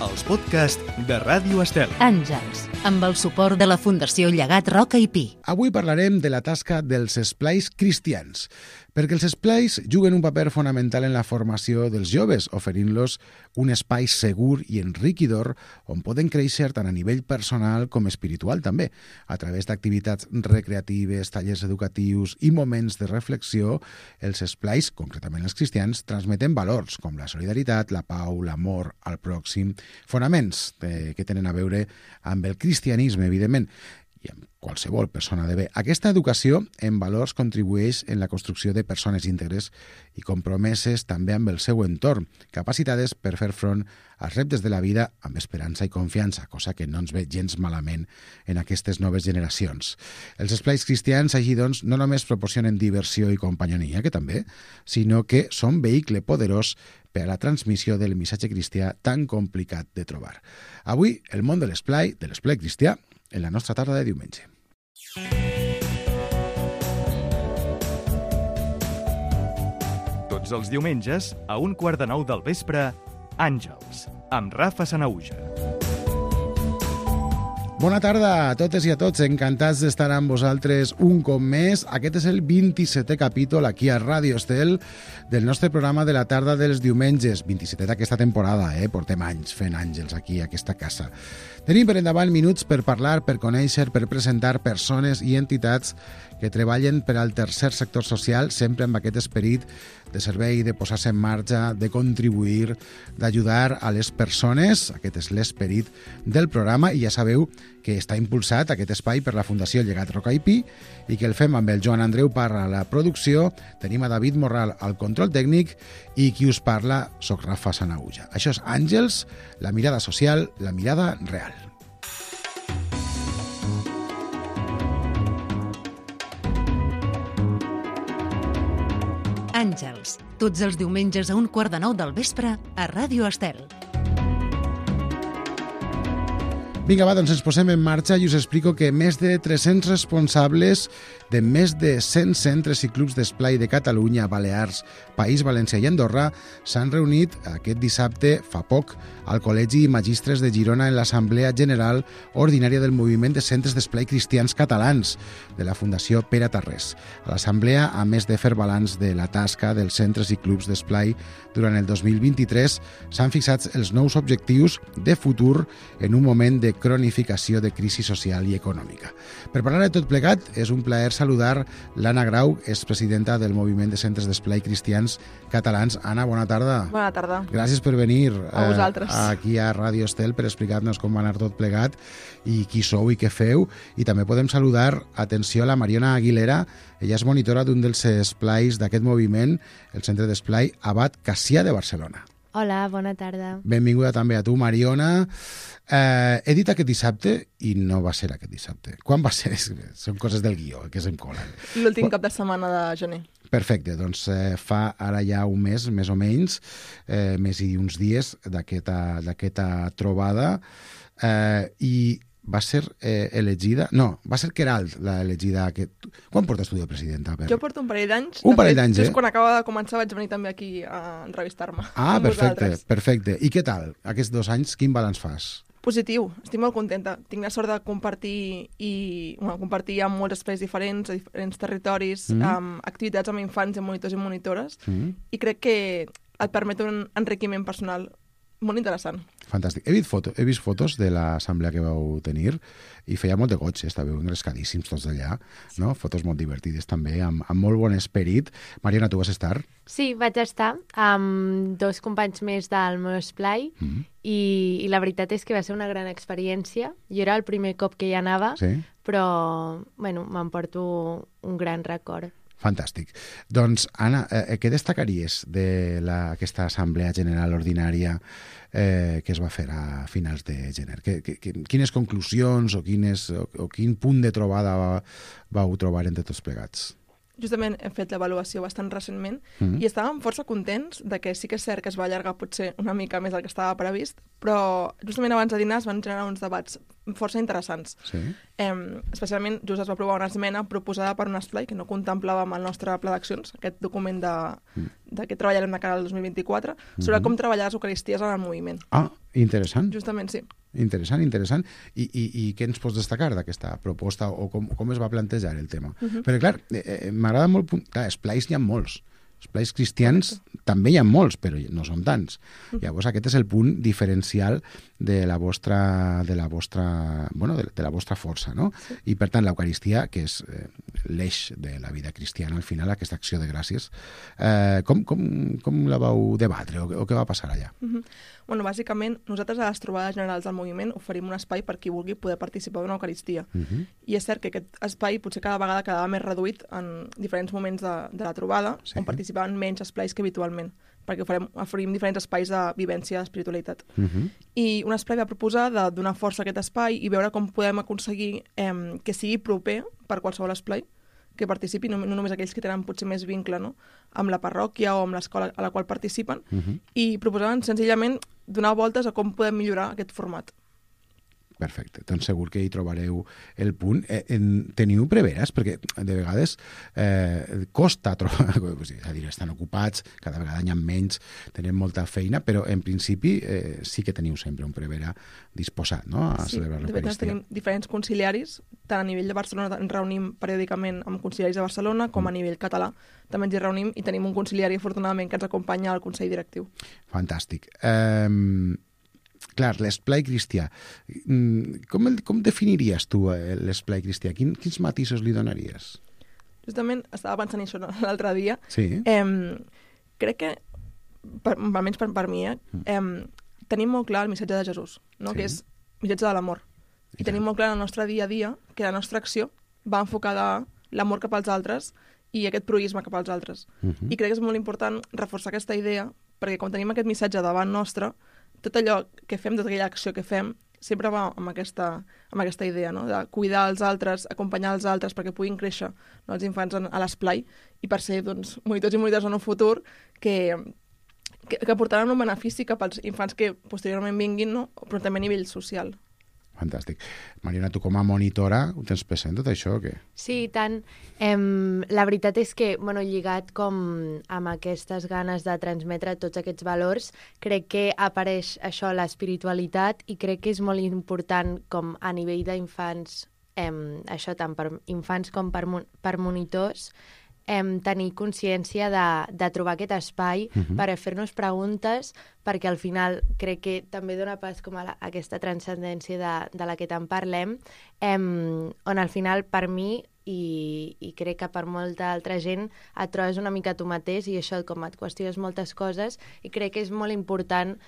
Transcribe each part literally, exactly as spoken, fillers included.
els podcasts de Ràdio Estel. Àngels, amb el suport de la Fundació Llegat Roca i Pi. Avui parlarem de la tasca dels esplais cristians, perquè els esplais juguen un paper fonamental en la formació dels joves, oferint-los un espai segur i enriquidor on poden créixer tant a nivell personal com espiritual també. A través d'activitats recreatives, tallers educatius i moments de reflexió, els esplais, concretament els cristians, transmeten valors com la solidaritat, la pau, l'amor al pròxim, fonaments eh, que tenen a veure amb el cristianisme, evidentment, i amb qualsevol persona de bé. Aquesta educació en valors contribueix en la construcció de persones íntegres i compromeses també amb el seu entorn, capacitades per fer front als reptes de la vida amb esperança i confiança, cosa que no ens ve gens malament en aquestes noves generacions. Els esplais cristians, així doncs, no només proporcionen diversió i companyonia, que també, sinó que són vehicle poderós per a la transmissió del missatge cristià tan complicat de trobar. Avui, el món de l'esplai, de l'esplai cristià, en la nostra tarda de diumenge. Tots els diumenges, a un quart de nou del vespre, Àngels, amb Rafa Sanahuja. Bona tarda a totes i a tots, encantats d'estar amb vosaltres un cop més. Aquest és el vint-i-setè capítol aquí a Ràdio Estel del nostre programa de la tarda dels diumenges. vint-i-setè d'aquesta temporada, eh? Portem anys fent àngels aquí a aquesta casa. Tenim per endavant minuts per parlar, per conèixer, per presentar persones i entitats que treballen per al tercer sector social, sempre amb aquest esperit de servei, de posar-se en marxa, de contribuir, d'ajudar a les persones. Aquest és l'esperit del programa i ja sabeu que està impulsat aquest espai per la Fundació Llegat Roca i Pi i que el fem amb el Joan Andreu Parra a la producció, tenim a David Morral al control tècnic i qui us parla, soc Rafa Sanahuja. Això és Àngels, la mirada social, la mirada real. Àngels, tots els diumenges a un quart de nou del vespre a Ràdio Estel. Vinga, va, doncs ens posem en marxa i us explico que més de tres-cents responsables de més de cent centres i clubs d'esplai de Catalunya, Balears, País Valencià i Andorra s'han reunit aquest dissabte, fa poc, al Col·legi Magistres de Girona en l'Assemblea General Ordinària del Moviment de Centres d'Esplai Cristians Catalans de la Fundació Pere Tarrés. A l'Assemblea, a més de fer balanç de la tasca dels centres i clubs d'esplai durant el dos mil vint-i-tres, s'han fixat els nous objectius de futur en un moment de cronificació de crisi social i econòmica. Per parlar de tot plegat, és un plaer saludar l'Anna Grau, és presidenta del Moviment de Centres d'Esplai Cristians Catalans. Anna, bona tarda. Bona tarda. Gràcies per venir a vosaltres. Eh, aquí a Ràdio Estel per explicar-nos com va anar tot plegat i qui sou i què feu. I també podem saludar, atenció, a la Mariona Aguilera. Ella és monitora d'un dels esplais d'aquest moviment, el Centre d'Esplai Abat Cassià de Barcelona. Hola, bona tarda. Benvinguda també a tu, Mariona. Eh, he dit aquest dissabte i no va ser aquest dissabte. Quan va ser? Són coses del guió, que se'm colen. L'últim cap de setmana de gener. Perfecte, doncs eh, fa ara ja un mes, més o menys, eh, més i uns dies d'aquesta d'aquesta trobada, eh, i va ser eh, elegida... No, va ser Queralt la elegida... Aquest... Quan portes tu de presidenta? Per... Jo porto un parell d'anys. Un parell d'anys, eh? Just quan acaba de començar vaig venir també aquí a entrevistar-me. Ah, perfecte, perfecte. I què tal? Aquests dos anys, quin balanç fas? Positiu, estic molt contenta. Tinc la sort de compartir i bueno, compartir amb molts espais diferents, a diferents territoris, mm. amb activitats amb infants i monitors i monitores, mm. i crec que et permet un enriquiment personal molt interessant. Fantàstic. He vist, foto, he vist fotos de l'assemblea que vau tenir i feia molt de goig, estàveu engrescadíssims tots d'allà, no? Fotos molt divertides també, amb, amb molt bon esperit. Mariona, tu vas estar? Sí, vaig estar amb dos companys més del meu esplai mm. i, i la veritat és que va ser una gran experiència. Jo era el primer cop que hi anava, sí? Però bueno, m'emporto un gran record. Fantàstic. Doncs, Anna, eh, què destacaries d'aquesta Assemblea General Ordinària eh, que es va fer a finals de gener? Que, que, que, quines conclusions o, quines, o, o quin punt de trobada va, vau trobar entre tots plegats? justament hem fet l'avaluació bastant recentment Mm. i estàvem força contents de que sí que és cert que es va allargar potser una mica més del que estava previst, però justament abans de dinar es van generar uns debats força interessants. Sí. Eh, especialment, just es va aprovar una esmena proposada per un esplai que no contemplava amb el nostre pla d'accions, aquest document de, de què treballarem de cara al dos mil vint-i-quatre, sobre Mhm. com treballar les eucaristies en el moviment. Ah, interessant. Justament, sí. Interessant, interessant. I, i, i què ens pots destacar d'aquesta proposta o com, com es va plantejar el tema? Mhm. Perquè, clar, eh, eh, m'agrada molt... punt- Clar, esplais n'hi ha molts. Esplais cristians també hi ha molts, però no són tants. Llavors, aquest és el punt diferencial de la vostra, de la vostra, bueno, de, de la vostra força, no? I, per tant, l'Eucaristia, que és eh, l'eix de la vida cristiana, al final, aquesta acció de gràcies, eh, com, com, com la vau debatre o, o què va passar allà? Mhm. Bueno, bàsicament, nosaltres a les trobades generals del moviment oferim un espai per qui vulgui poder participar d'una Eucaristia. Mhm. I és cert que aquest espai potser cada vegada quedava més reduït en diferents moments de, de la trobada, Sí. on participaven menys esplais que habitualment, perquè oferim, oferim diferents espais de vivència d'espiritualitat. Mhm. I un espai va proposar de donar força a aquest espai i veure com podem aconseguir eh, que sigui proper per qualsevol esplai, que participi, no, no només aquells que tenen potser més vincle, no?, amb la parròquia o amb l'escola a la qual participen, Mhm. i proposaven senzillament donar voltes a com podem millorar aquest format. Perfecte, doncs segur que hi trobareu el punt. Eh, en, teniu preveres? Perquè de vegades eh, costa trobar, és a dir, estan ocupats, cada vegada n'hi ha menys, tenen molta feina, però en principi eh, sí que teniu sempre un prevera disposat, no?, a Sí, celebrar de fet, l'Eucaristia. tenim diferents conciliaris, tant a nivell de Barcelona ens reunim periòdicament amb conciliaris de Barcelona, com a nivell català també ens hi reunim, i tenim un conciliari, afortunadament, que ens acompanya al Consell Directiu. Fantàstic. Eh, clar, l'esplai cristià. Mm, Com, el, com definiries tu eh, l'esplai cristià? Quin, quins matisos li donaries? Justament estava pensant en això l'altre dia. Sí. Eh, crec que, per, almenys per, per mi, eh, eh, tenim molt clar el missatge de Jesús, no? Sí. Que és el missatge de l'amor. I I tenim molt clar en el nostre dia a dia que la nostra acció va enfocada a l'amor cap als altres i aquest proisme cap als altres. Mhm. I crec que és molt important reforçar aquesta idea, perquè quan tenim aquest missatge davant nostre, tot allò que fem, tota aquella acció que fem, sempre va amb aquesta, amb aquesta idea, no?, de cuidar els altres, acompanyar els altres perquè puguin créixer, no?, els infants en, a l'esplai, i per ser, doncs, monitors i monitors en un futur que, que, que portaran un benefici cap als infants que posteriorment vinguin, no?, però també a nivell social. Fantàstic. Mariona, tu com a monitora ho tens present tot això o què? Sí, i tant. Em, la veritat és que, bueno, lligat com amb aquestes ganes de transmetre tots aquests valors, crec que apareix això, l'espiritualitat, i crec que és molt important com a nivell d'infants, em, això tant per infants com per, mon- per monitors, em, tenir consciència de, de trobar aquest espai Mhm. per a fer-nos preguntes, perquè al final crec que també dona pas com a la, aquesta transcendència de, de la que tant parlem, em, on al final per mi i, i crec que per molta altra gent et trobes una mica tu mateix i això com et qüestiones moltes coses, i crec que és molt important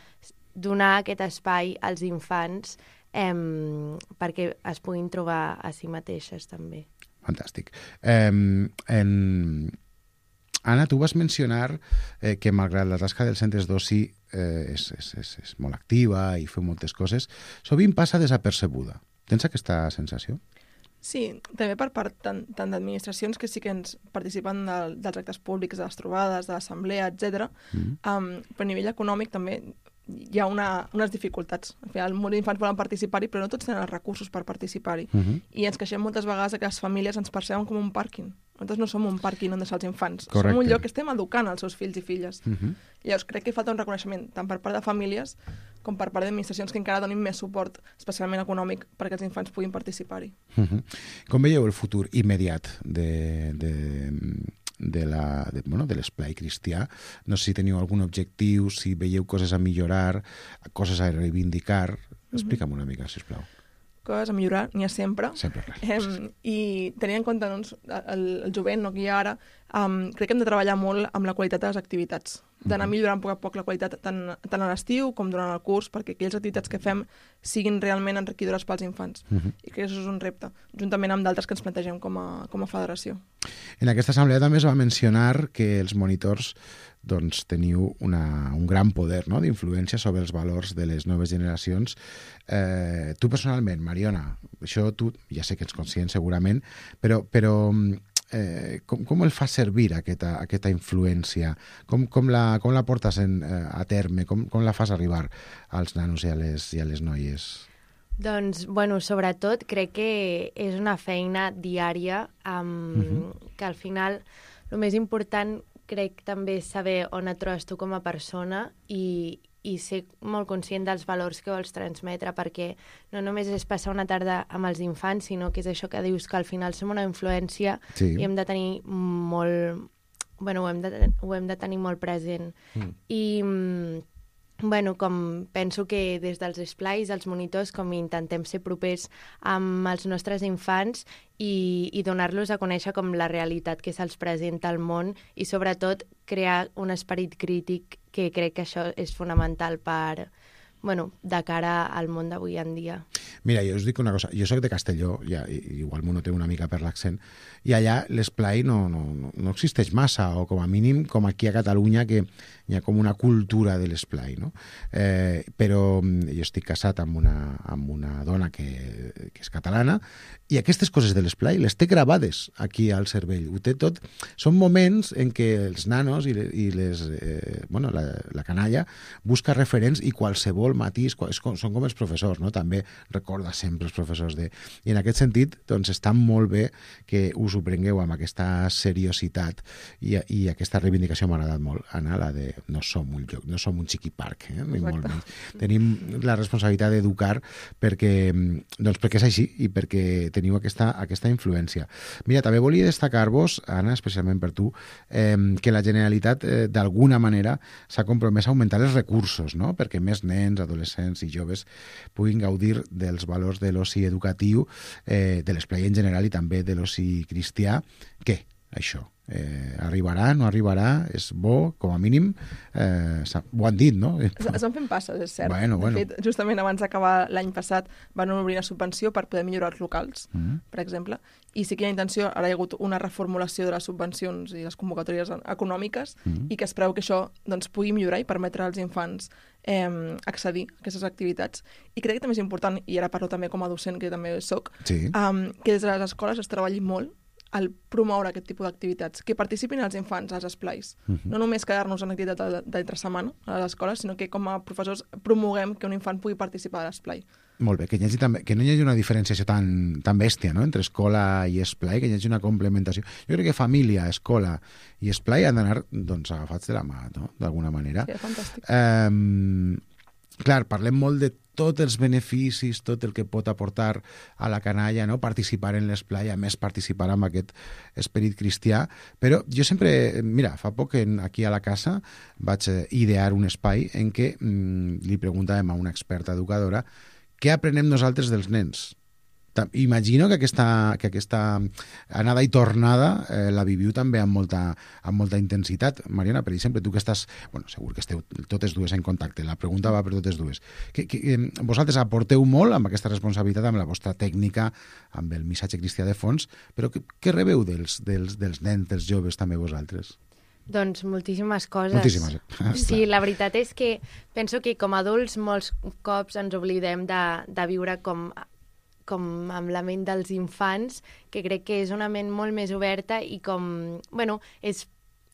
donar aquest espai als infants em, perquè es puguin trobar a si mateixes també. Fantàstic. Eh, en... Anna, tu vas mencionar eh, que malgrat la tasca dels centres d'oci eh, és, és, és, és molt activa i feu moltes coses, sovint passa desapercebuda. Tens aquesta sensació? Sí, també per part tant, tant d'administracions que sí que ens participen de, dels actes públics, de les trobades, de l'assemblea, etcètera. Mm. Um, però a nivell econòmic també hi ha una, unes dificultats. Al final, molts infants volen participar-hi, però no tots tenen els recursos per participar-hi. Uh -huh. I ens queixem moltes vegades que les famílies ens perceben com un pàrquing. Nosaltres no som un pàrquing on deixar els infants. Correcte. Som un lloc que estem educant els seus fills i filles. Uh -huh. Llavors, crec que falta un reconeixement tant per part de famílies com per part d'administracions que encara donin més suport, especialment econòmic, perquè els infants puguin participar-hi. Uh -huh. Com veieu el futur immediat de, de, de la, de, bueno, de l'esplai cristià? No sé si teniu algun objectiu, si veieu coses a millorar, coses a reivindicar. Explica'm una mica, sisplau. Coses a millorar, n'hi ha sempre. Sempre res. Eh, I tenint en compte doncs, el, el jovent no, que hi ha ara, um, crec que hem de treballar molt amb la qualitat de les activitats, d'anar millorant a poc a poc la qualitat tant, tant a l'estiu com durant el curs, perquè aquelles activitats que fem siguin realment enriquidores pels infants. Uh -huh. I crec que això és un repte, juntament amb d'altres que ens plantegem com a, com a federació. En aquesta assemblea també es va mencionar que els monitors doncs, teniu una, un gran poder, no?, d'influència sobre els valors de les noves generacions. Eh, tu personalment, Mariona, això tu ja sé que ets conscient segurament, però, però eh, com, com el fa servir aquesta, aquesta influència? Com, com, la, com la portes en, eh, a terme? Com, com la fas arribar als nanos i a les, i a les noies? Doncs, bueno, sobretot crec que és una feina diària um, uh-huh. que al final el més important crec també és saber on et trobes tu com a persona i, i ser molt conscient dels valors que vols transmetre, perquè no només és passar una tarda amb els infants, sinó que és això que dius, que al final som una influència sí. i hem de tenir molt... Bueno, ho hem de, ho hem de tenir molt present. Mm. I... Bueno, com penso que des dels esplais, els monitors, com intentem ser propers amb els nostres infants i, i donar-los a conèixer com la realitat que se'ls presenta al món i sobretot crear un esperit crític, que crec que això és fonamental per, bueno, de cara al món d'avui en dia. Mira, jo us dic una cosa, jo soc de Castelló, ja, igual m'ho noteu una mica per l'accent, i allà l'esplai no, no, no existeix massa, o com a mínim, com aquí a Catalunya, que hi ha com una cultura de l'esplai, no? Eh, però jo estic casat amb una, amb una dona que, que és catalana, i aquestes coses de l'esplai les té gravades aquí al cervell. Ho té tot. Són moments en què els nanos i, i les, eh, bueno, la, la canalla busca referents i qualsevol matís, és com, són com els professors, no? També recorda sempre els professors de... I en aquest sentit, doncs, està molt bé que us ho prengueu amb aquesta seriositat i, i aquesta reivindicació m'ha agradat molt, Anna, la de no som un lloc, no som un xiqui parc, eh? Ni molt menys. Tenim la responsabilitat d'educar perquè, doncs perquè és així i perquè teniu aquesta, aquesta influència. Mira, també volia destacar-vos, Anna, especialment per tu, eh, que la Generalitat eh, d'alguna manera s'ha compromès a augmentar els recursos, no? Perquè més nens, adolescents i joves puguin gaudir dels valors de l'oci educatiu, eh, de l'esplai en general i també de l'oci cristià. Què? Això. Eh, arribarà, no arribarà, és bo, com a mínim, eh, ho han dit, no? Es, es van fent passes, és cert. Bueno, bueno. De fet, justament abans d'acabar l'any passat van obrir una subvenció per poder millorar els locals, mm-hmm. per exemple, i sí que hi ha intenció, ara hi ha hagut una reformulació de les subvencions i les convocatòries econòmiques, mm-hmm. i que es preveu que això doncs, pugui millorar i permetre als infants eh, accedir a aquestes activitats. I crec que també és important, i ara parlo també com a docent, que també soc, sí. um, que des de les escoles es treballi molt al promoure aquest tipus d'activitats, que participin els infants als esplais. Uh-huh. No només quedar-nos en activitat d'entre setmana a les escoles, sinó que com a professors promoguem que un infant pugui participar a l'esplai. Molt bé, que, hi hagi també, que no hi hagi una diferenciació tan, tan bèstia, no?, entre escola i esplai, que hi hagi una complementació. Jo crec que família, escola i esplai han d'anar doncs, agafats de la mà, no?, d'alguna manera. Sí, fantàstic. Eh, clar, parlem molt de tots els beneficis, tot el que pot aportar a la canalla, no? Participar en l'esplai, a més participar amb aquest esperit cristià, però jo sempre, mira, fa poc en, aquí a la casa vaig idear un espai en què mm, li preguntàvem a una experta educadora què aprenem nosaltres dels nens. Imagino que aquesta, que aquesta anada i tornada eh, la viviu també amb molta, amb molta intensitat. Mariona, per exemple, tu que estàs... Bueno, segur que esteu totes dues en contacte. La pregunta va per totes dues. Que, que, eh, vosaltres aporteu molt amb aquesta responsabilitat, amb la vostra tècnica, amb el missatge cristià de fons, però què, què rebeu dels, dels, dels nens, dels joves, també vosaltres? Doncs moltíssimes coses. Moltíssimes. Sí, la veritat és que penso que com a adults molts cops ens oblidem de, de viure com... com amb la ment dels infants, que crec que és una ment molt més oberta i com, bueno, és,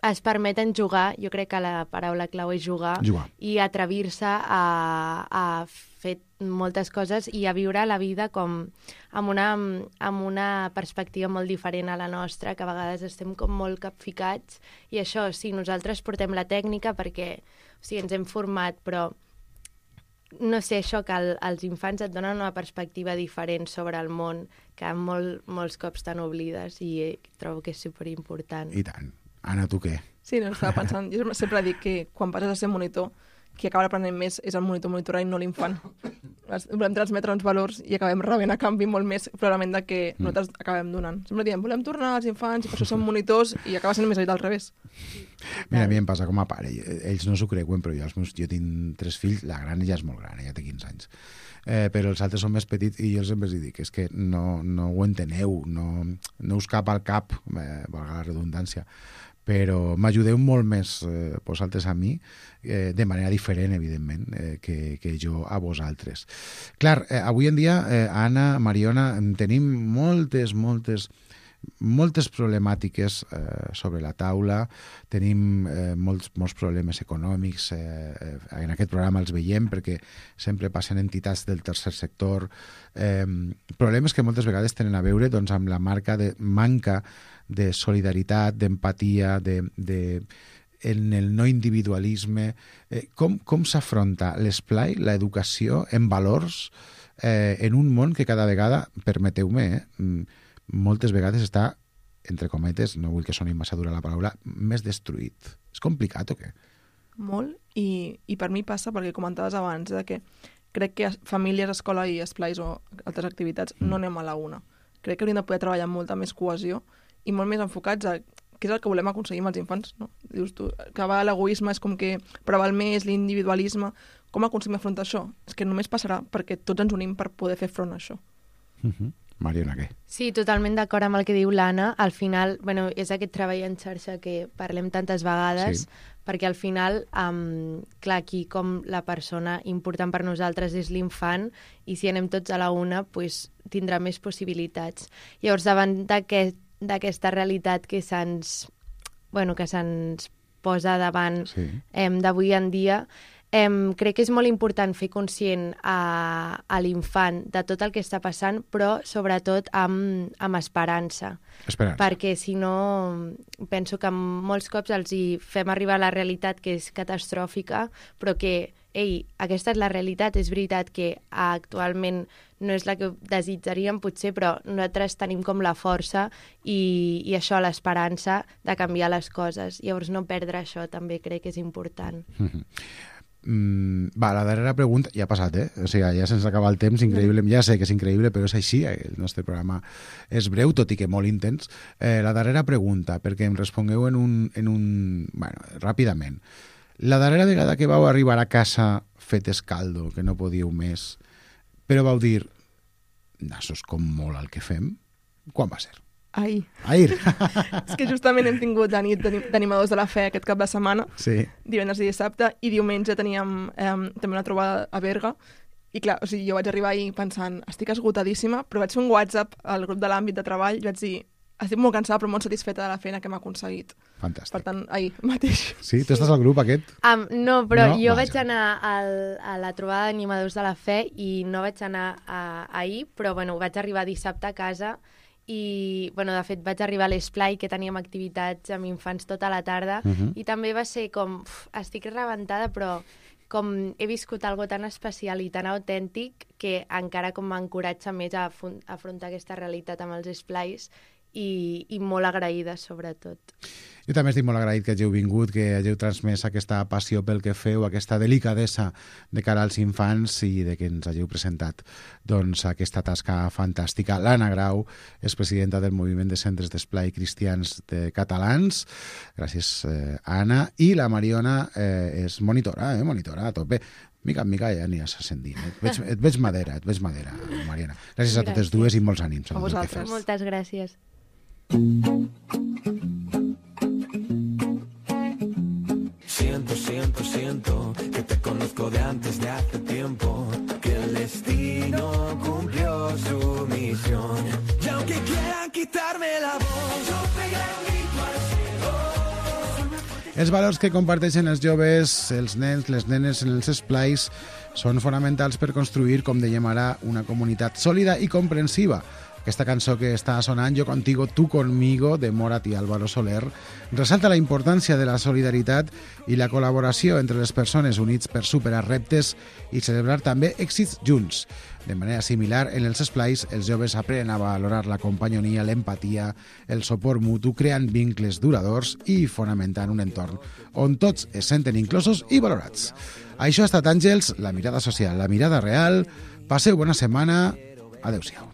es permeten jugar, jo crec que la paraula clau és jugar, jugar. I atrevir-se a, a fer moltes coses i a viure la vida com amb una, amb una perspectiva molt diferent a la nostra, que a vegades estem com molt capficats, i això, sí, nosaltres portem la tècnica perquè, o sigui, ens hem format, però no sé, això que el, els infants et donen una perspectiva diferent sobre el món que molt, molts cops te n'oblides i trobo que és superimportant. I tant. Anna, tu què? Sí, no, estava pensant, jo sempre dic que quan passes a ser monitor, qui acaba aprenent més és el monitor monitora i no l'infant. Volem transmetre uns valors i acabem rebent a canvi molt més probablement del que mm. nosaltres acabem donant. Sempre diem, volem tornar als infants i per això som monitors i acaba sent més aviat al revés. Mira, a mi em passa com a pare. Ells no s'ho creuen, però jo, els meus, jo tinc tres fills, la gran ja és molt gran, ja té quinze anys. Eh, però els altres són més petits i jo sempre els dic, és que no, no ho enteneu, no, no us cap al cap, eh, valga la redundància, però m'ajudeu molt més eh, vosaltres a mi, eh, de manera diferent, evidentment, eh, que, que jo a vosaltres. Clar, eh, avui en dia, eh, Anna, Mariona, tenim moltes, moltes moltes problemàtiques eh, sobre la taula, tenim eh, molts, molts problemes econòmics, eh, en aquest programa els veiem perquè sempre passen entitats del tercer sector, eh, problemes que moltes vegades tenen a veure doncs, amb la marca de manca de solidaritat, d'empatia, de, de, en el no individualisme. Eh, com com s'afronta l'esplai, l'educació en valors, eh, en un món que cada vegada, permeteu-me, eh, moltes vegades està, entre cometes, no vull que soni massa dura la paraula, més destruït. És complicat o què? Molt, i, i per mi passa, perquè comentaves abans, de que crec que famílies, escola i esplais o altres activitats mm. no anem a la una. Crec que hauríem de poder treballar amb molta més cohesió i molt més enfocats a què és el que volem aconseguir amb els infants, no? Dius tu, que va l'egoisme és com que preval més l'individualisme. Com aconseguim afrontar això? És que només passarà perquè tots ens unim per poder fer front a això. Mm-hmm. Mariona, què? Sí, totalment d'acord amb el que diu l'Anna. Al final, bueno, és aquest treball en xarxa que parlem tantes vegades, sí. perquè al final, um, clar, aquí com la persona important per nosaltres és l'infant, i si anem tots a la una, pues, tindrà més possibilitats. Llavors, davant d'aquest, d'aquesta realitat que se'ns, bueno, que se'ns posa davant sí. eh, d'avui en dia, Eh, crec que és molt important fer conscient a, a l'infant de tot el que està passant, però sobretot amb, amb esperança. Esperança. Perquè si no, penso que molts cops els hi fem arribar a la realitat que és catastròfica, però que, ei, aquesta és la realitat, és veritat que actualment no és la que desitjaríem potser, però nosaltres tenim com la força i, i això, l'esperança de canviar les coses. Llavors no perdre això també crec que és important. Mm-hmm. Mm, va, la darrera pregunta, ja ha passat, eh? O sigui, ja se'ns acaba el temps, increïble, ja sé que és increïble, però és així, el nostre programa és breu, tot i que molt intens. Eh, la darrera pregunta, perquè em respongueu en un, en un... Bueno, ràpidament. La darrera vegada que vau arribar a casa fet escaldo, que no podíeu més, però vau dir, nassos com molt el que fem, quan va ser? Ahir. Ahir. És que justament hem tingut la nit d'animadors de la fe aquest cap de setmana, sí. divendres i dissabte, i diumenge teníem eh, també una trobada a Berga, i clar, o sigui, jo vaig arribar ahir pensant, estic esgotadíssima, però vaig fer un WhatsApp al grup de l'àmbit de treball i vaig dir, estic molt cansada però molt satisfeta de la feina que m'ha aconseguit. Fantàstic. Per tant, ahir mateix. Sí? Tu estàs al grup aquest? Um, no, però no? jo Vaja. vaig anar al, a la trobada d'animadors de la fe i no vaig anar a, ahir, però bueno, vaig arribar dissabte a casa i, bueno, de fet, vaig arribar a l'Esplai, que teníem activitats amb infants tota la tarda, uh-huh. i també va ser com, uf, estic rebentada, però com he viscut algo tan especial i tan autèntic que encara com m'encoratja més a afrontar aquesta realitat amb els esplais i, i molt agraïda, sobretot. Jo també estic molt agraït que hàgiu vingut, que hàgiu transmès aquesta passió pel que feu, aquesta delicadesa de cara als infants i de que ens hàgiu presentat doncs, aquesta tasca fantàstica. L'Anna Grau és presidenta del Moviment de Centres d'Esplai Cristians de Catalans. Gràcies, eh, Anna. I la Mariona eh, és monitora, eh, monitora a tope. Mica en mica ja aniràs ascendint. Et veig, et veig madera, et veig madera, Mariona. Gràcies a totes dues i molts ànims. A vosaltres. Moltes gràcies. Siento, siento, siento que te conozco de antes de hace tiempo, que el destino cumplió su misión. Y aunque quieran quitarme la voz, yo pegaré un grito al cielo. Els valors que comparteixen els joves, els nens, les nenes en els esplais són fonamentals per construir, com dèiem ara, una comunitat sòlida i comprensiva. Aquesta cançó que està sonant, Yo contigo, tú conmigo, de Morat i Álvaro Soler, ressalta la importància de la solidaritat i la col·laboració entre les persones units per superar reptes i celebrar també èxits junts. De manera similar, en els esplais, els joves aprenen a valorar la companyonia, l'empatia, el suport mutu, creant vincles duradors i fonamentant un entorn on tots es senten inclosos i valorats. Això ha estat Àngels, la mirada social, la mirada real. Passeu bona setmana. Adéu-siau.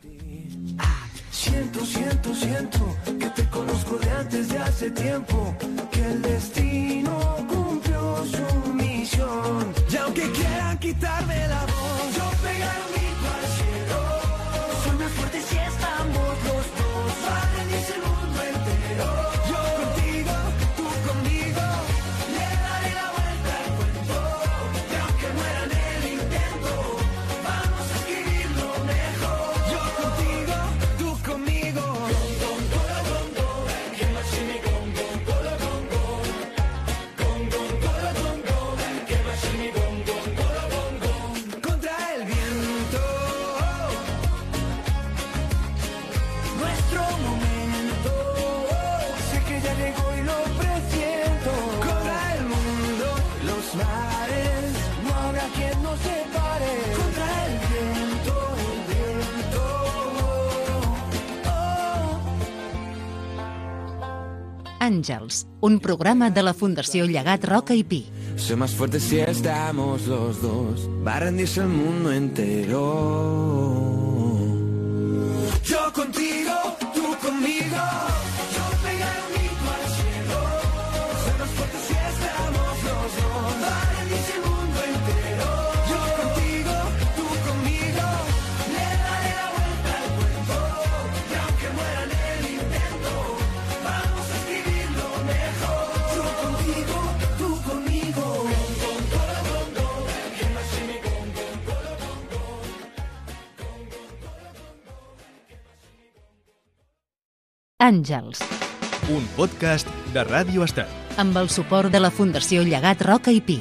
Siento, siento, siento que te conozco de antes de hace tiempo, que el destino cumplió su misión. Y aunque quieran quitarme la voz, yo pegaré un grito al cielo. Soy más fuerte si estamos los dos, para venirse el mundo entero. Yo contigo, tú conmigo, le daré la vuelta al cuento. Y aunque muera en el intento, vamos a escribirlo mejor. Yo contigo, tú conmigo, con, con, con, Àngels, un programa de la Fundació Llegat Roca i Pi. Soy más fuerte si estamos los dos. Va a rendirse el mundo entero. Yo contigo, tú conmigo. Yo pegaré un grito al cielo. Soy más fuerte si estamos los dos. Va a rendirse el mundo entero. Yo contigo, tú conmigo. Le daré la vuelta al cuento. Y aunque muera en el intento, vamos a escribirlo mejor. Yo contigo, tú conmigo. Àngels, un podcast de Ràdio Estel. amb el suport de la Fundació Llegat Roca i Pi.